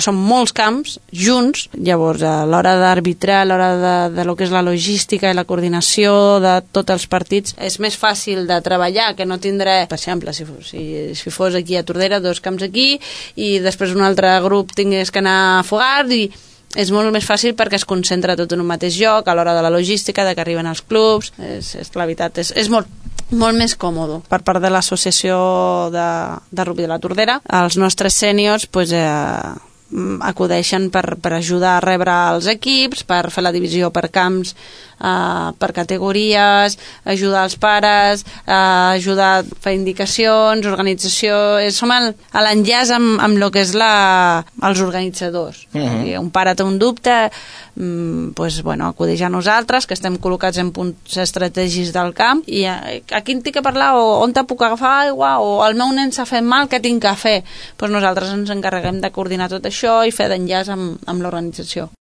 són molts camps junts, llavors a l'hora d'arbitrar, a l'hora de lo que és la logística i la coordinació de tots els partits, és més fàcil de treballar, que no tindré, per exemple, si fos aquí a Tordera, 2 camps aquí, i després un altre grup tingués que anar a Fogars, i és molt més fàcil perquè es concentra tot en un mateix lloc, a l'hora de la logística, de que arriben els clubs, la veritat, és molt més còmode. Per part de l'associació de rugby de la Tordera, els nostres sèniors acudeixen per ajudar a rebre els equips, per fer la divisió per camps, per categories, ajudar els pares, ajudar a fer indicacions, organització. Som l'enllaç amb el que és els organitzadors. Un pare té un dubte, acudeix a nosaltres, que estem col·locats en punts estratègics del camp, i a qui tinc que parlar, o on te puc agafar aigua, o el meu nen s'ha fet mal, què tinc que fer? Nosaltres ens encarreguem de coordinar tot això i fer d'enllaç amb l'organització.